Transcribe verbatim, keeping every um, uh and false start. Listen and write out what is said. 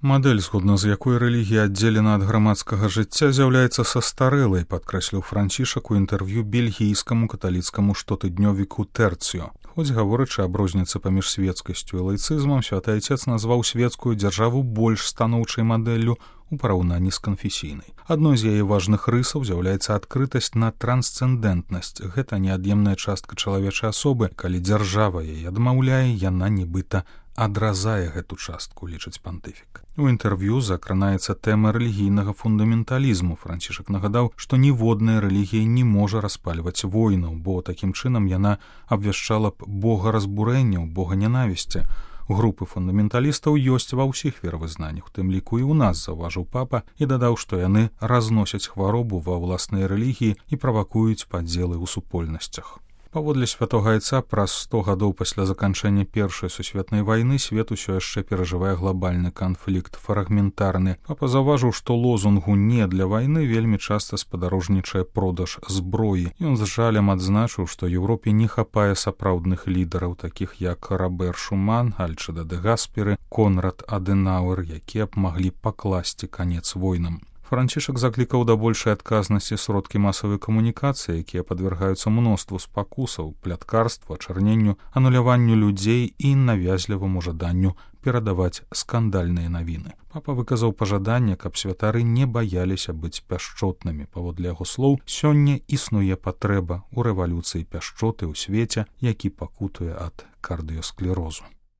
Мадэль, згодна з якой рэлігія аддзелена ад грамадскага жыцця, з'яўляецца састарэлай, падкрэсліў Францішак у інтэрв'ю бельгійскаму каталіцкаму штотыднёвіку «Тэрціо». Хоць гаворачы аб розніцы паміж свецкасцю і лайцызмам, святы айцец назваў свецкую дзяржаву больш станоўчай мадэллю у параўнанні з канфесійнай. Адной з яе важных рысаў з'яўляецца адкрытасць на трансцэндэнтнасць. Гэта неад'емная частка чалавечай асобы. Калі дзяржава яе адмаўляе, яна нібыта адразае гэту частку, лічыць пантыфік. У інтэрв'ю закранаецца тэма рэлігійнага фундаменталізму. Францішак нагадаў, што ніводная рэлігія не можа распальваць войнаў, бо такім чынам яна абвяшчала б бога разбурэнняў, бога нянавісці. Групы фундаменталістаў ёсць ва ўсіх веравызнаннях, у тым ліку і ў нас, заўважыў папа, і дадаў, што яны разносяць хваробу ва ўласнай рэлігіі і правакуюць падзелы ў супольнасцях. Паводле святога айца, праз сто гадоў пасля заканчэння Першай сусветнай вайны свет усё яшчэ перажывае глобальны канфлікт, фрагментарны. Папа заўважыў, што лозунгу «не для вайны» вельмі часта спадарожнічае продаж зброі. Ён з жалем адзначыў, што Еўропе не хапае сапраўдных лідараў, такіх як Робер Шуман, Альчыда де Гаспері, Конрад Адэнауэр, якія б маглі пакласці канец войнам. Францішак заклікаў да большай адказнасці сродкі масавай камунікацыі, якія падвяргаюцца мноству спакусаў, пляткарству, ачарненню, ануляванню людзей і навязліваму жаданню перадаваць скандальныя навіны. Папа выказаў пажаданне, каб святары не баяліся быць пяшчотнымі. Паводле яго слоў, сёння існуе патрэба ў рэвалюцыі пяшчоты ў свеце, які пакутуе ад кардыёсклерозу.